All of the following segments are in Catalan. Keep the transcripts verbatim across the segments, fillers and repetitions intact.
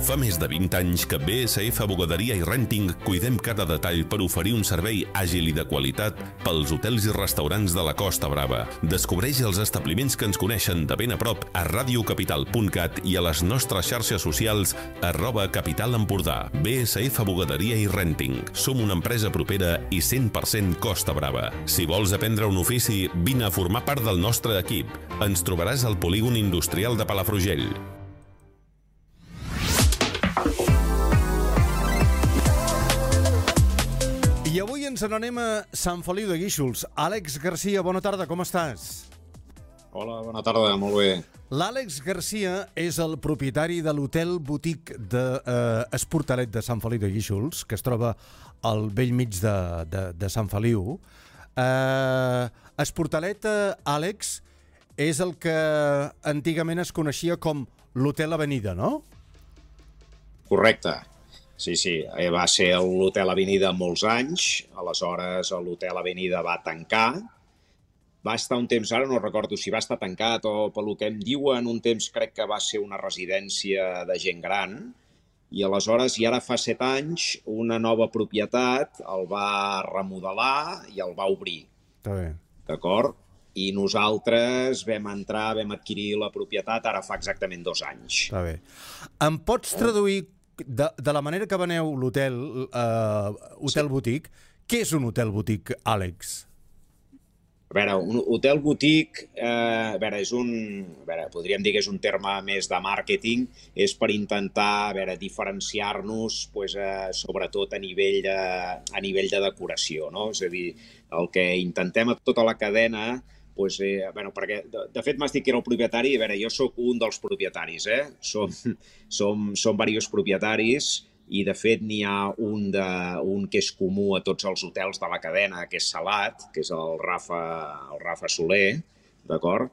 Fa més de vint anys que B S F Bugaderia i Renting cuidem cada detall per oferir un servei àgil i de qualitat pels hotels i restaurants de la Costa Brava. Descobreix els establiments que ens coneixen de ben a prop a radiocapital punt cat i a les nostres xarxes socials arroba Capital Empordà. B S F Bugaderia i Renting. Som una empresa propera i cent per cent Costa Brava. Si vols aprendre un ofici, vine a formar part del nostre equip. Ens trobaràs al polígon industrial de Palafrugell. I avui ens n'anem a Sant Feliu de Guíxols. Àlex Garcia, bona tarda, com estàs? Hola, bona tarda, molt bé. L'Àlex Garcia és el propietari de l'hotel boutique d'Esportalet de, eh, de Sant Feliu de Guíxols, que es troba al bell mig de, de, de Sant Feliu. Eh, Esportalet, eh, Àlex, és el que antigament es coneixia com l'Hotel Avenida, no? Correcte. Sí, sí, va ser l'Hotel Avenida molts anys, aleshores l'Hotel Avenida va tancar, va estar un temps, ara no recordo si va estar tancat o pel que em diuen, un temps crec que va ser una residència de gent gran, i aleshores, i ara fa set anys, una nova propietat el va remodelar i el va obrir. Està bé. D'acord? I nosaltres vam entrar, vam adquirir la propietat ara fa exactament dos anys. Està bé. Em pots traduir De, de la manera que veneu l'hotel, eh, hotel sí. Boutique, què és un hotel boutique, Àlex? A veure, un hotel boutique, eh, a veure, és un, a veure, podríem dir que és un terme més de màrqueting, és per intentar, a veure, diferenciar-nos, pues, eh, sobretot a nivell de, a nivell de decoració, no? És a dir, el que intentem a tota la cadena, pues, eh, bueno, perquè de, de fet m'has dit que era el propietari, a veure, jo sóc un dels propietaris, eh? Som, som, som diversos propietaris i de fet n'hi ha un, de, un que és comú a tots els hotels de la cadena, que és Salat, que és el Rafa, el Rafa Soler, d'acord?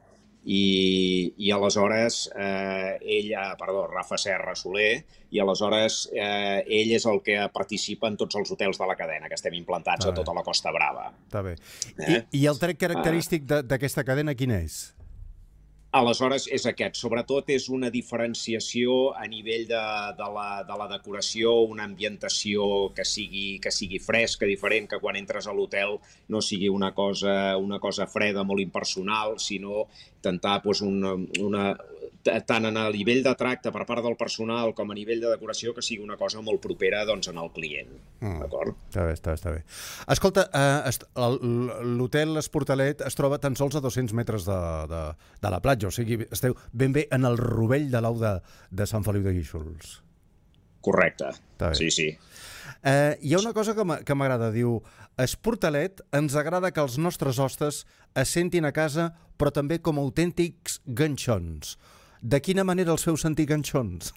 I, i aleshores eh, ell, perdó, Rafa Serra Soler, i aleshores eh, ell és el que participa en tots els hotels de la cadena, que estem implantats a tota la Costa Brava. Està bé. Eh? I, I el tret característic d'aquesta cadena quin és? Aleshores, és aquest. Sobretot és una diferenciació a nivell de, de, la, de la decoració, una ambientació que sigui, que sigui fresca, diferent, que quan entres a l'hotel no sigui una cosa, una cosa freda, molt impersonal, sinó intentar doncs, una, una, tant en el nivell de tracte per part del personal com a nivell de decoració que sigui una cosa molt propera doncs, en el client. Mm. D'acord? Està bé, està bé, està bé. Escolta, eh, l'hotel Esportalet es troba tan sols a dos-cents metres de, de, de la platja, o sigui, esteu ben bé en el rovell de l'au de, de Sant Feliu de Guíxols. Correcte, sí, sí. Eh, hi ha una cosa que m'agrada, diu, Esportalet ens agrada que els nostres hostes es sentin a casa, però també com autèntics ganxons. De quina manera els feu sentir ganxons?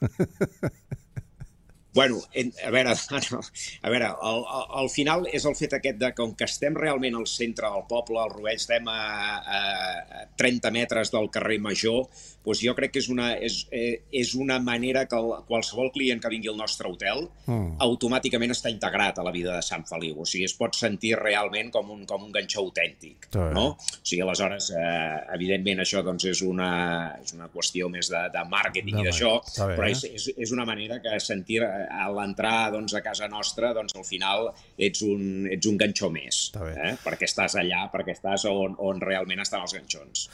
Bueno, a veure, a veure al, al final és el fet aquest de que com que estem realment al centre del poble, al Rovell, estem a, a trenta metres del carrer Major, doncs jo crec que és una, és, és una manera que el, qualsevol client que vingui al nostre hotel mm. automàticament està integrat a la vida de Sant Feliu. O sigui, es pot sentir realment com un, com un ganxó autèntic. No? O sigui, aleshores, eh, evidentment, això doncs, és, una, és una qüestió més de, de màrqueting no, i d'això, però és, és, és una manera que sentir a l'entrar doncs, a casa nostra, doncs, al final ets un, ets un ganxó més, eh? Perquè estàs allà, perquè estàs on, on realment estan els ganxons.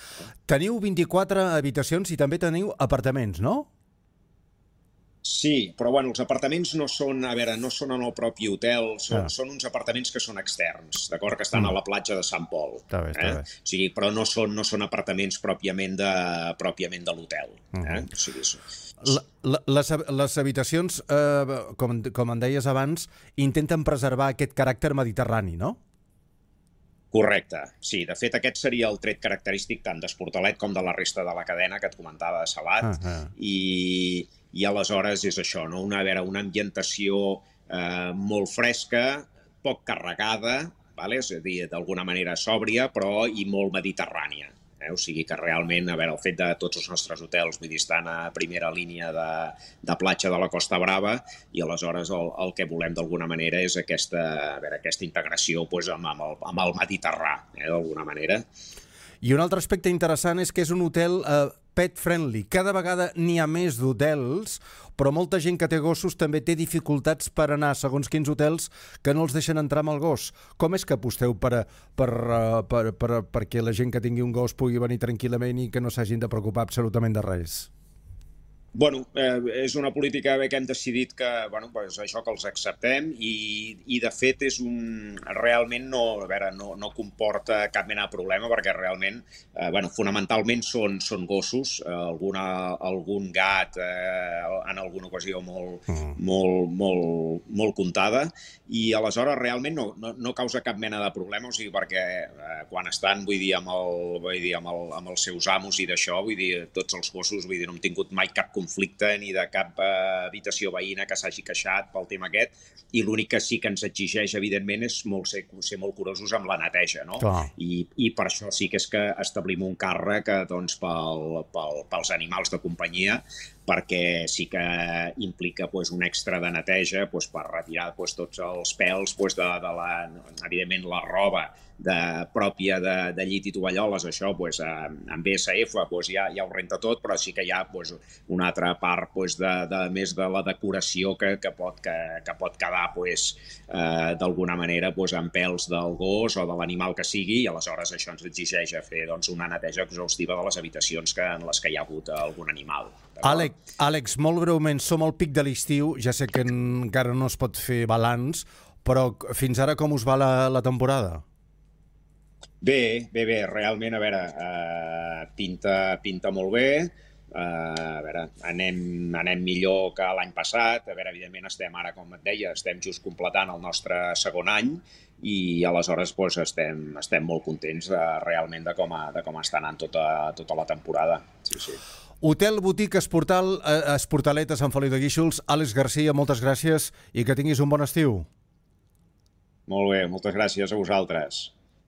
Teniu vint-i-quatre habitacions i també teniu apartaments, no? Sí, però bueno, els apartaments no són, a veure, no són en el propi hotel, són, ah. són uns apartaments que són externs, d'acord? Que estan mm. a la platja de Sant Pol. Està bé, està eh? bé. O sigui, però no són, no són apartaments pròpiament de, pròpiament de l'hotel. Mm. Eh? O sigui, La, la, les, les habitacions, eh, com, com en deies abans, intenten preservar aquest caràcter mediterrani, no? Correcte, sí. De fet, aquest seria el tret característic tant d'Esportalet com de la resta de la cadena que et comentava de Salat. Uh -huh. I, I aleshores és això, no? Una, a veure, una ambientació eh, molt fresca, poc carregada, vale? És a dir, d'alguna manera sòbria, però i molt mediterrània. Eh? O sigui que realment, a veure, el fet de tots els nostres hotels, vull dir, estan a primera línia de, de platja de la Costa Brava i aleshores el, el que volem d'alguna manera és aquesta, a veure, aquesta integració pues, amb, amb, el, amb el Mediterrà, eh, d'alguna manera. I un altre aspecte interessant és que és un hotel eh, pet friendly. Cada vegada n'hi ha més d'hotels, però molta gent que té gossos també té dificultats per anar a segons quins hotels que no els deixen entrar amb el gos. Com és que aposteu per, per, per, per, perquè la gent que tingui un gos pugui venir tranquil·lament i que no s'hagin de preocupar absolutament de res? Bueno, eh, és una política bé que hem decidit que, bueno, pues això que els acceptem i, i de fet és un, realment no, a veure, no, no comporta cap mena de problema perquè realment, eh, bueno, fonamentalment són, són gossos, eh, alguna, algun gat eh, en alguna ocasió molt, mm. molt, molt, molt comptada i aleshores realment no, no, no causa cap mena de problema, o sigui, perquè eh, quan estan, vull dir, amb, el, vull dir, amb, el, amb els seus amos i d'això, vull dir, tots els gossos, vull dir, no hem tingut mai cap conflicte ni de cap eh, habitació veïna que s'hagi queixat pel tema aquest i l'únic que sí que ens exigeix, evidentment, és molt ser, ser molt curosos amb la neteja, no? I, I per això sí que és que establim un càrrec doncs, pel, pel, pels animals de companyia perquè sí que implica pues, un extra de neteja pues, per retirar pues, tots els pèls pues, de, de la, evidentment, la roba de, pròpia de, de llit i tovalloles, això pues, amb B S F pues, ja, ja ho renta tot, però sí que hi ha pues, una altra part pues, de, de, més de la decoració que, que, pot, que, que pot quedar pues, eh, d'alguna manera pues, amb pèls del gos o de l'animal que sigui i aleshores això ens exigeix a fer doncs, una neteja exhaustiva de les habitacions que, en les que hi ha hagut algun animal. Àlex, Àlex, molt breument, som al pic de l'estiu, ja sé que encara no es pot fer balanç, però fins ara com us va la, la temporada? Bé, bé, bé, realment, a veure, eh, pinta, pinta molt bé, eh, a veure, anem, anem millor que l'any passat, a veure, evidentment estem ara, com et deia, estem just completant el nostre segon any i aleshores doncs, estem, estem molt contents de, realment de com, a, de com està anant tota, tota la temporada. Sí, sí. Hotel Botic Esportal, Esportalet a Sant Feliu de Guíxols. Àlex Garcia, moltes gràcies i que tinguis un bon estiu. Molt bé, moltes gràcies a vosaltres.